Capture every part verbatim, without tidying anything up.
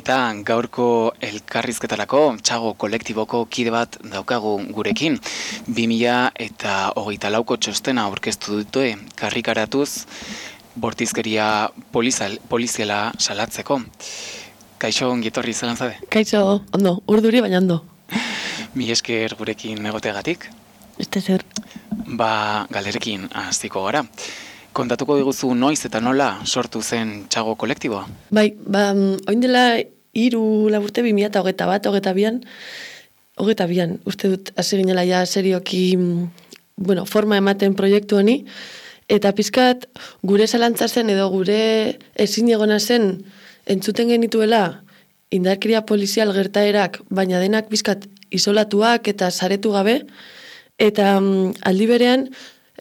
Eta gaurko elkarrizketarako txago kolektiboko kide bat daukagu gurekin. bi mila hogeita lauko txostena aurkeztu dute karrikaratuz bortizkeria polizal, poliziala salatzeko. Kaixo ongietorri zelan zade? Kaixo, ondo, urduri baina ondo. Mi esker gurekin egoteagatik. Este zer. Ba, galderekin hasiko gara. Kontatuko diguzu noiz eta nola sortu zen txago kolektiboa? Bai, ba, oin dela hiru laburte bi mila eta hogeita bat, hogeita bian, hogeita bian, uste dut hasi ginela ja serioki, bueno, forma ematen proiektu honi, eta pizkat gure zalantza zen edo gure ezin egona zen entzuten genituela indarkeria polizial gertaerak, baina denak pizkat isolatuak eta saretu gabe, eta um, aldi berean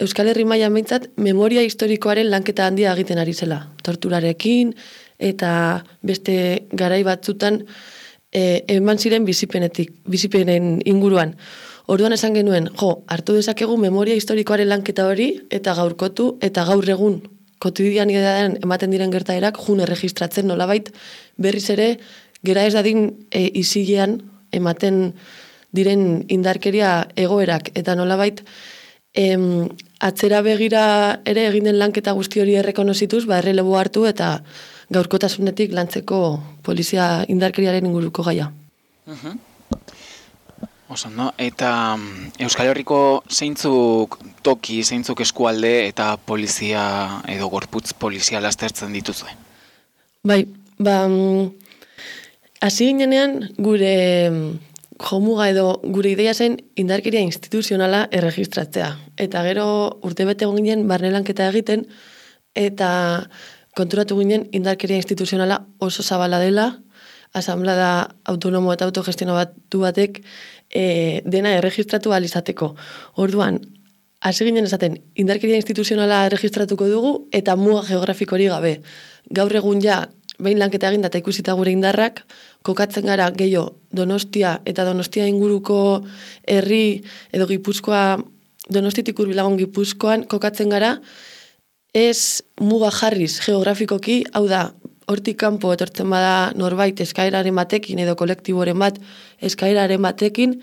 Euskal Herri mailan behintzat memoria historikoaren lanketa handia egiten ari zela. Torturarekin eta beste garai batzutan e, eman ziren bizipenetik, bizipenen inguruan. Orduan esan genuen, jo, hartu dezakegu memoria historikoaren lanketa hori eta gaurkotu eta gaur egun kotidianitatean ematen diren gertaerak june erregistratzen nolabait berriz ere gera ez dadin e, isilean ematen diren indarkeria egoerak eta nolabait Em, atzera begira ere egin den lanketa guzti hori errekonozituz, ba errelebo hartu eta gaurkotasunetik lantzeko polizia indarkeriaren inguruko gaia. Uh-huh. Oso, no? Eta Euskal Herriko zeintzuk toki, zeintzuk eskualde eta polizia edo gorputz poliziala aztertzen dituzue? Bai, ba, hasi ginenean gure jomuga edo gure ideia zen indarkeria instituzionala erregistratzea. Eta gero urtebete egon ginen barne lanketa egiten eta konturatu ginen indarkeria instituzionala oso zabala dela, asamblada autonomo eta autogestionatu batek e, dena erregistratu ahal izateko. Orduan, hasi ginen esaten indarkeria instituzionala erregistratuko dugu eta muga geografiko hori gabe. Gaur egun ja behin lanketa egin eta ikusita gure indarrak, kokatzen gara gehiago Donostia eta Donostia inguruko herri edo Gipuzkoa, Donostitik hurbilagon Gipuzkoan kokatzen gara, ez muga jarriz geografikoki, hau da, hortik kanpo etortzen bada norbait eskaeraren batekin edo kolektiboren bat eskaeraren batekin,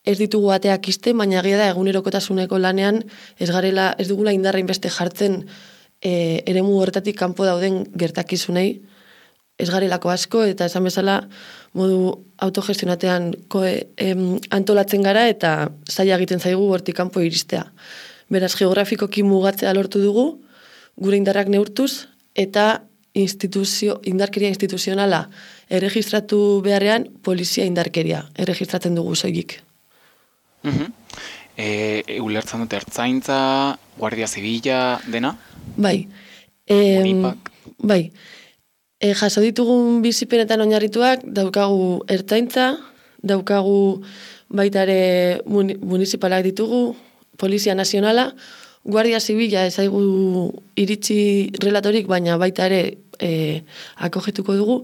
ez ditugu bateak iste, baina egia da egunerokotasuneko lanean ez garela, ez dugula indarra inbeste jartzen e, eremu horretatik kanpo dauden gertakizunei, ez garelako asko, eta esan bezala modu autogestionatean koe, em, antolatzen gara eta zaila egiten zaigu hortik kanpo iristea. Beraz, geografikoki mugatzea lortu dugu, gure indarrak neurtuz, eta instituzio, indarkeria instituzionala erregistratu beharrean polizia indarkeria erregistratzen dugu soilik. Uh-huh. E, e, ulertzen dute ertzaintza, guardia zibila, dena? Bai. E, Unipak? Bai. E, jaso ditugun bizipenetan oinarrituak daukagu ertzaintza, daukagu baita ere municipalak ditugu, polizia nazionala, guardia zibila ezaigu iritsi relatorik, baina baita ere e, akogetuko dugu,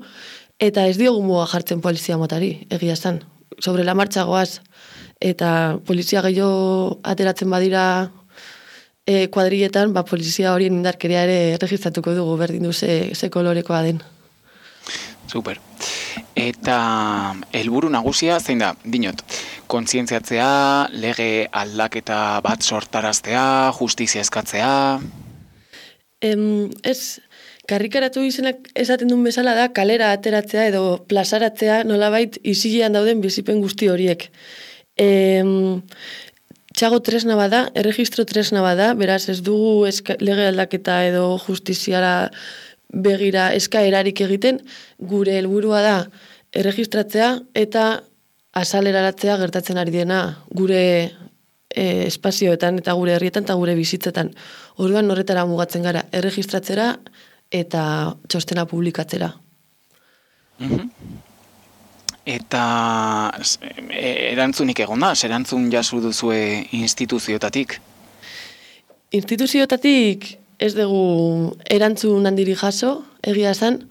eta ez diogu muga jartzen polizia motari, egia esan. Sobre la marcha goaz, eta polizia gehiago ateratzen badira E, kuadrilletan, ba, polizia horien indarkeria ere registratuko dugu, berdin du ze, ze kolorekoa den. Super. Eta helburu nagusia zein da, dinot, kontzientziatzea, lege aldaketa bat sortaraztea, justizia eskatzea? Em, ez, karrikaratu izenak esaten duen bezala da, kalera ateratzea edo plazaratzea nolabait isilean dauden bizipen guzti horiek. Em, Txago tresna bada, erregistro tresna bada, beraz ez dugu eska, lege aldaketa edo justiziara begira eskaerarik egiten, gure helburua da erregistratzea eta azaleraratzea gertatzen ari dena gure e, espazioetan eta gure herrietan eta gure bizitzetan. Orduan horretara mugatzen gara, erregistratzera eta txostena publikatzera. Mhm. Eta erantzunik egon da, erantzun jasu duzue instituziotatik? Instituziotatik ez dugu erantzun handiri jaso, egia esan.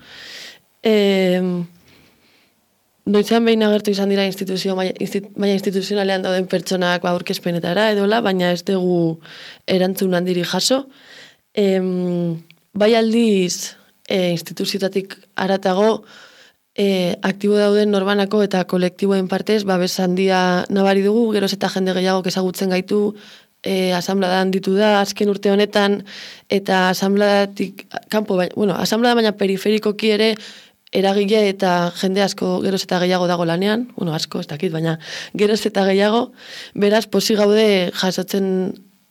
E, Noizean behin agertu izan dira instituzio, maia, maia instituzionalean dauden pertsonak aurkezpenetara edola, baina ez dugu erantzun handiri jaso. E, bai aldiz e, instituziotatik haratago, e, aktibo dauden norbanako eta kolektiboen partez, babes handia nabari dugu, geroz eta jende gehiago ezagutzen gaitu, e, asanbladan ditu da, azken urte honetan, eta asanbladatik, kanpo, baina, bueno, asanblada baina periferikoki ere, eragile eta jende asko geroz eta gehiago dago lanean, bueno, asko, ez dakit, baina geroz eta gehiago, beraz, posi gaude jasotzen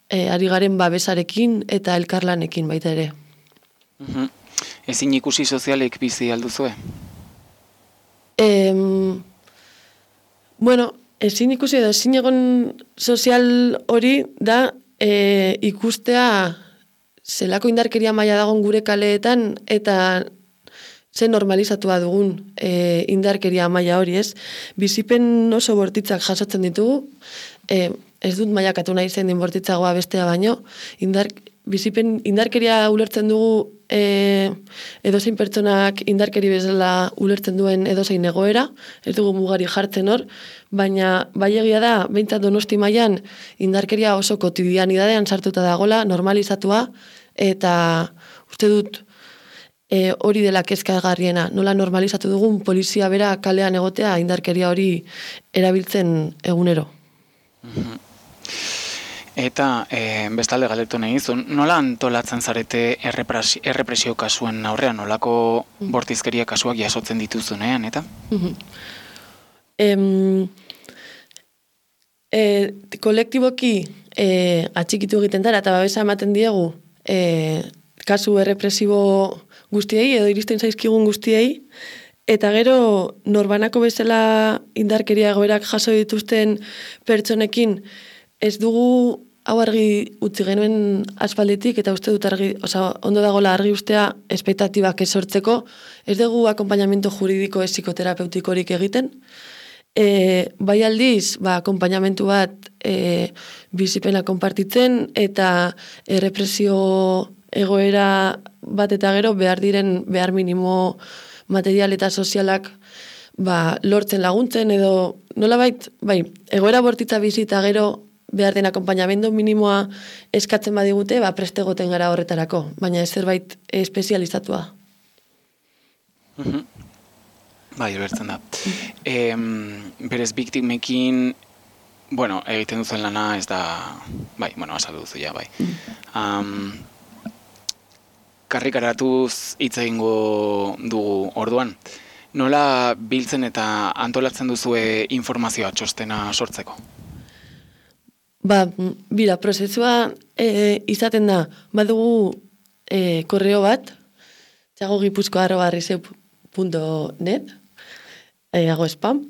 e, ari garen babesarekin eta elkarlanekin baita ere. Mhm. Ezin ikusi sozialek bizi alduzue? Em, bueno, ezin ikusi edo ezin egon sozial hori da e, ikustea zelako indarkeria maila dagon gure kaleetan eta ze normalizatua dugun e, indarkeria maila hori, ez? Bizipen oso bortitzak jasotzen ditugu, e, ez dut mailakatu nahi zen bortitzagoa bestea baino, indar, bizipen indarkeria ulertzen dugu e, edozein pertsonak indarkeri bezala ulertzen duen edozein egoera, ez dugu mugari jartzen hor, baina bai egia da, behintzat Donosti mailan indarkeria oso kotidianidadean sartuta dagola, normalizatua, eta uste dut e, hori dela kezkagarriena, nola normalizatu dugun polizia bera kalean egotea indarkeria hori erabiltzen egunero. Mhm. Eta e, bestalde galdetu nahi izun, nola antolatzen zarete errepresio, errepresio kasuen aurrean, nolako bortizkeria kasuak jasotzen dituzunean, eta? Em, e, kolektiboki e, atxikitu egiten dara eta babesa ematen diegu e, kasu errepresibo guztiei edo iristen zaizkigun guztiei, eta gero norbanako bezala indarkeria egoerak jaso dituzten pertsonekin ez dugu hau argi utzi genuen aspalditik, eta uste dut argi, oza, ondo dagoela argi ustea espektatibak ez sortzeko, ez dugu akompainamiento juridiko ez psikoterapeutikorik egiten, e, bai aldiz, ba, akompainamentu bat e, bizipena konpartitzen, eta errepresio egoera bat eta gero behar diren behar minimo material eta sozialak ba, lortzen laguntzen, edo nolabait, bai, egoera bortitza bizi eta gero behar den akompainamendu minimoa eskatzen badigute, ba, prestegoten gara horretarako, baina ez zerbait espezializatua. Mhm. Bai, ulertzen da. E, berez biktimekin, bueno, egiten duzen lana ez da, bai, bueno, azaldu duzu ja, bai. Um, karrikaratuz hitz egingo dugu orduan. Nola biltzen eta antolatzen duzue informazioa txostena sortzeko? Ba, bira, prozesua e, izaten da, badugu e, korreo bat, txagogipuzko arroba riseu punto net, e, hago spam,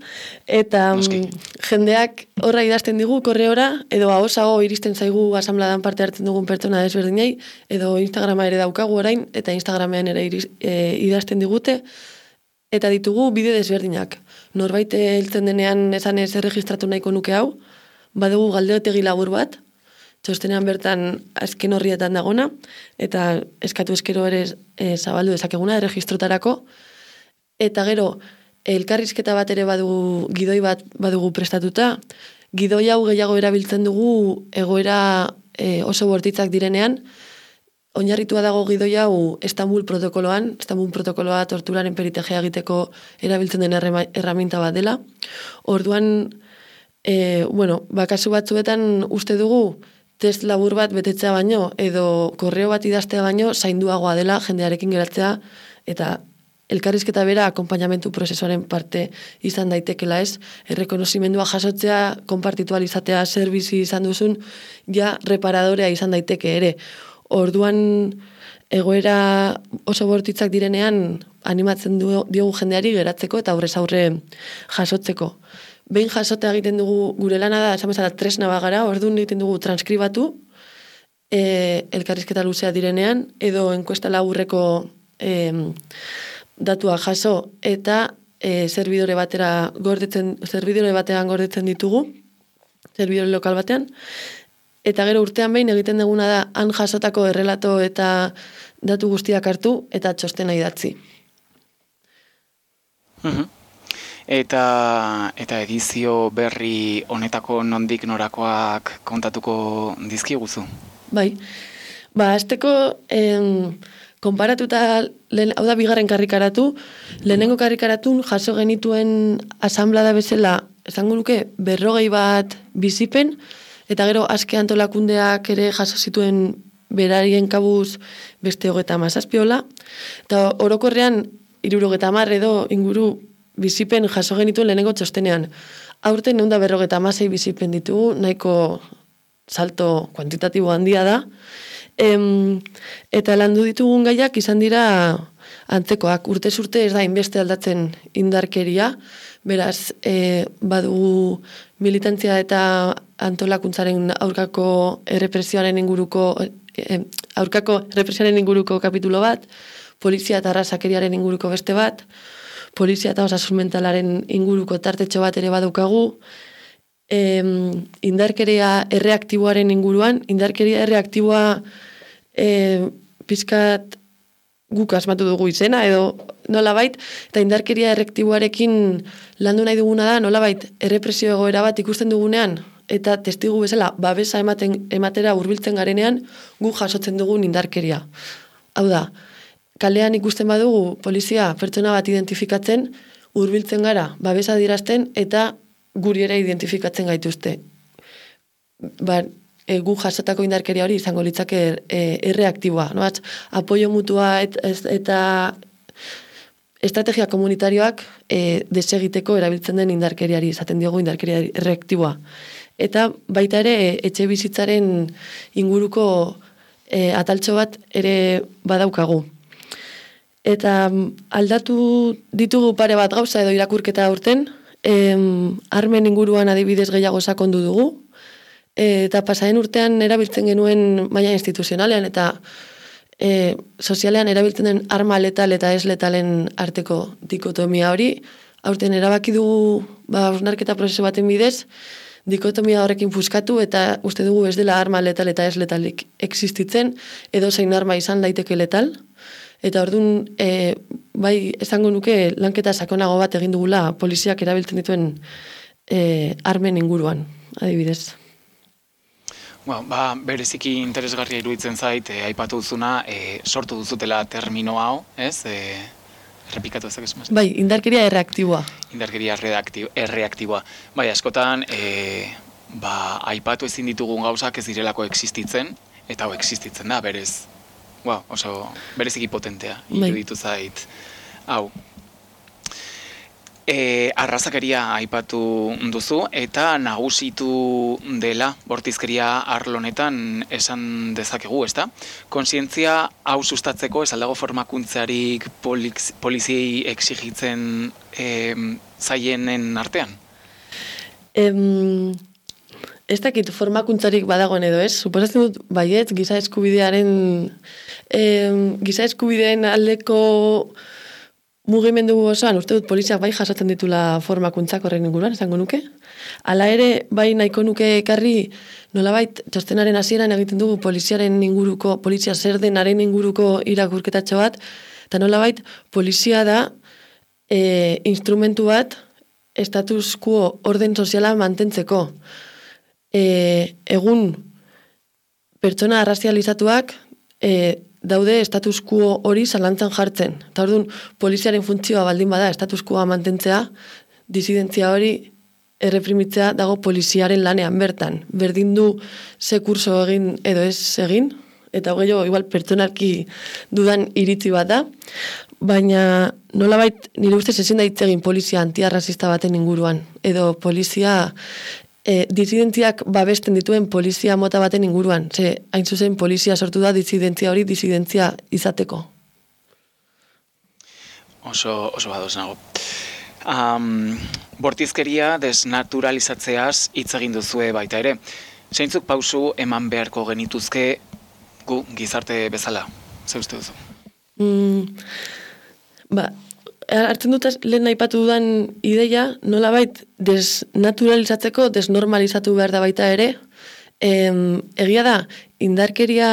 eta mm, jendeak horra idazten digu korreora, edo ahosago iristen zaigu asanbladan parte hartzen dugun pertsona desberdinei, edo Instagrama ere daukagu orain, eta Instagramean ere iriz, e, idazten digute, eta ditugu bide desberdinak. Norbait heltzen denean esan ez erregistratu nahiko nuke hau, badugu galdeotegi labur bat, txostenean bertan azken horrietan dagona, eta eskatu eskero ere e, zabaldu dezakeguna erregistrotarako, eta gero elkarrizketa bat ere badugu, gidoi bat badugu prestatuta, gidoi hau gehiago erabiltzen dugu egoera e, oso bortitzak direnean, oinarritua dago gidoi hau Estambul protokoloan, Estambul protokoloa torturaren peritegea egiteko erabiltzen den erraminta bat dela, orduan E, bueno, bakasu batzuetan uste dugu test labur bat betetzea baino edo korreo bat idaztea baino zainduagoa dela jendearekin geratzea eta elkarrizketa bera akompainamentu prozesuaren parte izan daitekela ez, errekonozimendua jasotzea, konpartitualizatea zer bizi izan duzun, ja reparadorea izan daiteke ere. Orduan egoera oso bortitzak direnean animatzen du, diogu jendeari geratzeko eta aurrez aurre jasotzeko. Behin jasotea egiten dugu gure lana da, esan bezala tresna bagara, orduan egiten dugu transkribatu, e, elkarrizketa luzea direnean, edo enkuesta laburreko e, datua jaso, eta e, zerbidore batera gordetzen, zerbidore batean gordetzen ditugu, zerbidore lokal batean, eta gero urtean behin egiten duguna da, han jasotako errelato eta datu guztiak hartu, eta txostena idatzi. Mhm. Eta, eta edizio berri honetako nondik norakoak kontatuko dizkiguzu? Bai, ba, azteko em, konparatuta, lehen, hau da bigarren karrikaratu, lehenengo karrikaratun jaso genituen asanblada bezala, esango nuke berrogei bat bizipen, eta gero aske antolakundeak ere jaso zituen berarien kabuz beste hogeta mazazpiola, eta orokorrean hirurogeta hamar edo inguru bizipen jaso genituen lehenengo txostenean. Aurten ehun eta berrogeta hamasei bizipen ditugu, nahiko salto kuantitatibo handia da, em, eta landu ditugun gaiak izan dira antzekoak. Urtez urte ez da inbeste aldatzen indarkeria, beraz, e, badugu militantzia eta antolakuntzaren aurkako errepresioaren inguruko e, aurkako errepresioaren inguruko kapitulo bat, polizia eta arrazakeriaren inguruko beste bat, polizia eta osasun mentalaren inguruko tartetxo bat ere badaukagu, e, indarkeria erreaktiboaren inguruan, indarkeria erreaktiboa e, pizkat guk asmatu dugu izena, edo nolabait, eta indarkeria erreaktiboarekin landu nahi duguna da, nolabait, errepresio egoera bat ikusten dugunean, eta testigu bezala, babesa ematen, ematera hurbiltzen garenean, gu jasotzen dugun indarkeria. Hau da, kalean ikusten badugu polizia pertsona bat identifikatzen, hurbiltzen gara, babesa dirazten, eta guri ere identifikatzen gaituzte. Ba, e, gu jasotako indarkeria hori izango litzake e, erreaktiboa. No? Apoio mutua et, ez, eta estrategia komunitarioak e, desegiteko erabiltzen den indarkeriari, izaten diogu indarkeria erreaktiboa. Eta baita ere e, etxe bizitzaren inguruko e, ataltxo bat ere badaukagu. Eta aldatu ditugu pare bat gauza edo irakurketa aurten, em, armen inguruan adibidez gehiago sakondu dugu, e, eta pasaren urtean erabiltzen genuen maila instituzionalean eta e, sozialean erabiltzen den arma letal eta ez letalen arteko dikotomia hori, aurten erabaki dugu ba, hausnarketa prozesu baten bidez, dikotomia horrekin puskatu eta uste dugu ez dela arma letal eta ez letalik existitzen, edo zein arma izan daiteke letal. Eta orduan, e, bai, esango nuke lanketa sakonago bat egin dugula poliziak erabiltzen dituen e, armen inguruan, adibidez. Well, ba, bereziki interesgarria iruditzen zait, e, aipatu duzuna, e, sortu duzutela termino hau, ez? E, errepikatu ezak esmaz? Bai, indarkeria erreaktiboa. Indarkeria erreaktiboa. Bai, askotan, e, ba, aipatu ezin ditugun gauzak ez direlako existitzen, eta hau existitzen da, berez. Wow, oso bereziki potentea, iruditu zait. Hau. E, arrazakeria aipatu duzu, eta nagusitu dela bortizkeria arlonetan esan dezakegu, ezta? Kontzientzia hau sustatzeko ez aldago formakuntzarik poliziei exigitzen e, zaienen artean? Em... Ez dakit formakuntzarik badagoen edo ez, suposatzen dut baiet giza eskubidearen eh, giza eskubideen aldeko mugimendu osoan, uste dut poliziak bai jasotzen ditula formakuntzak horren inguruan, esango nuke. Hala ere, bai nahiko nuke ekarri nolabait txostenaren hasieran egiten dugu poliziaren inguruko, polizia zer denaren inguruko irakurketatxo bat, eta nolabait polizia da eh, instrumentu bat status quo orden soziala mantentzeko. E, egun pertsona arrazializatuak e, daude status quo hori zalantzan jartzen. Eta orduan, poliziaren funtzioa baldin bada status quoa mantentzea, disidentzia hori erreprimitzea dago poliziaren lanean bertan. Berdin du ze kurso egin edo ez egin, eta hogei igual pertsonarki dudan iritzi bat da, baina nolabait nire ustez ezin da hitz egin polizia antiarrazista baten inguruan, edo polizia E, disidentziak babesten dituen polizia mota baten inguruan. Ze, hain zuzen, polizia sortu da disidentzia hori disidentzia izateko. Oso, oso badoz nago. Um, bortizkeria desnaturalizatzeaz hitz egin duzue baita ere. Zeintzuk pausu eman beharko genituzke gu gizarte bezala? Ze uste duzu? Mm, ba, hartzen dut lehen aipatu dudan ideia, nolabait desnaturalizatzeko, desnormalizatu behar da baita ere. Em, egia da, indarkeria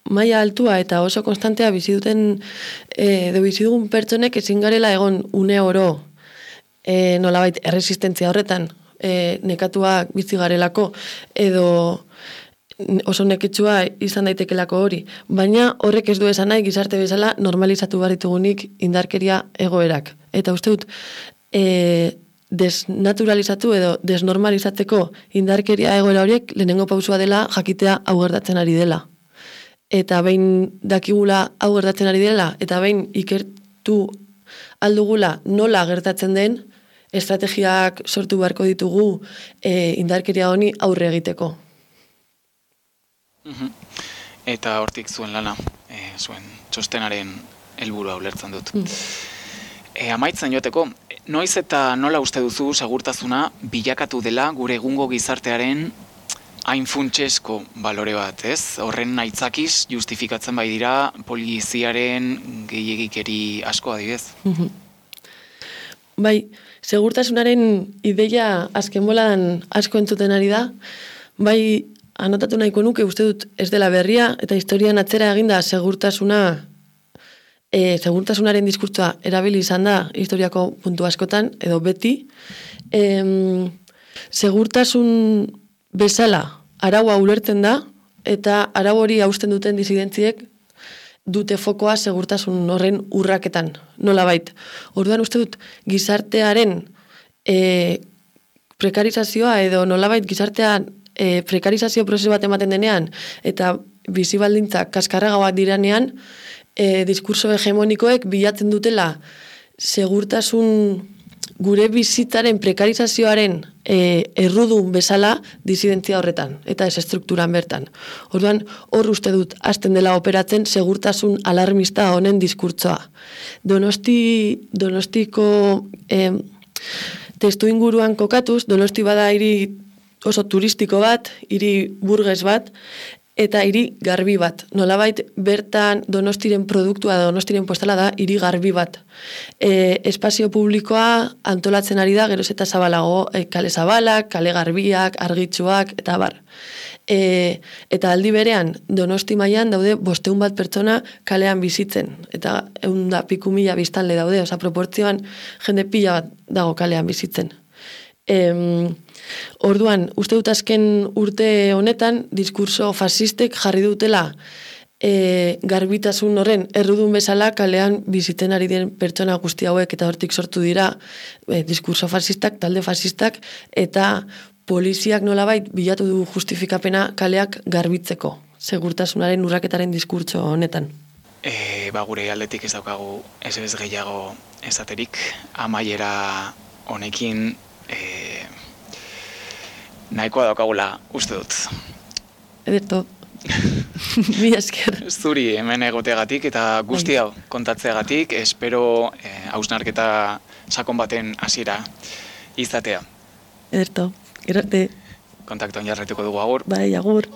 maila altua eta oso konstantea bizi duten e, edo bizi dugun pertsonek ezin garela egon une oro e, nolabait erresistentzia horretan e, nekatuak bizi garelako edo oso neketsua izan daitekelako hori. Baina horrek ez du esan nahi gizarte bezala normalizatu behar ditugunik indarkeria egoerak. Eta uste dut, e, desnaturalizatu edo desnormalizatzeko indarkeria egoera horiek lehenengo pausua dela jakitea hau gertatzen ari dela. Eta behin dakigula hau gertatzen ari dela, eta behin ikertu aldugula nola gertatzen den, estrategiak sortu beharko ditugu e, indarkeria honi aurre egiteko. Eta hortik zuen lana, e, zuen txostenaren helburua ulertzen dut. Mm. E, amaitzen joteko, noiz eta nola uste duzu segurtasuna bilakatu dela gure egungo gizartearen hain funtsesko balore bat, ez? Horren aitzakiz justifikatzen bai dira poliziaren gehiegikeri asko adibidez. Bai, segurtasunaren ideia azken boladan asko entzuten ari da, bai anotatu nahiko nuke uste dut ez dela berria, eta historian atzera eginda segurtasuna, e, segurtasunaren diskurtsoa erabili izan da historiako puntu askotan, edo beti. E, segurtasun bezala araua ulertzen da, eta arau hori hausten duten disidentziek dute fokoa segurtasun horren urraketan, nolabait. Orduan uste dut gizartearen e, prekarizazioa edo nolabait gizartean e, prekarizazio prozesu bat ematen denean eta bizibaldintzak kaskarragagoak diranean, e, diskurso hegemonikoek bilatzen dutela segurtasun gure bizitzaren prekarizazioaren e, errudun bezala disidentzia horretan, eta ez estrukturan bertan. Orduan, hor uste dut, hasten dela operatzen segurtasun alarmista honen diskurtsoa. Donosti, donostiko e, testu inguruan kokatuz, Donosti bada hiri oso turistiko bat, hiri burges bat, eta hiri garbi bat. Nolabait, bertan Donostiren produktua, Donostiren postala da, hiri garbi bat. E, espazio publikoa antolatzen ari da, geroz eta zabalago, e, kale zabalak, kale garbiak, argitsuak, eta bar. E, eta aldi berean, Donosti mailan daude bosteun bat pertsona kalean bizitzen. Eta egun da piku mila biztanle daude, oza, proportzioan jende pila bat dago kalean bizitzen. Em, orduan, uste dut azken urte honetan, diskurso fasistek jarri dutela e, garbitasun horren errudun bezala kalean bizitzen ari den pertsona guzti hauek, eta hortik sortu dira e, diskurso fasistak, talde fasistak, eta poliziak nolabait bilatu du justifikapena kaleak garbitzeko, segurtasunaren urraketaren diskurtso honetan. E, ba, gure aldetik ez daukagu ez ez gehiago esaterik, amaiera honekin E, nahikoa daukagula uste dut. Ederto. Mila esker. Zuri hemen egoteagatik eta guzti hau kontatzeagatik, espero e, hausnarketa sakon baten hasiera izatea. Ederto. Gero arte. Kontaktuan jarraituko dugu agur. Bai, agur.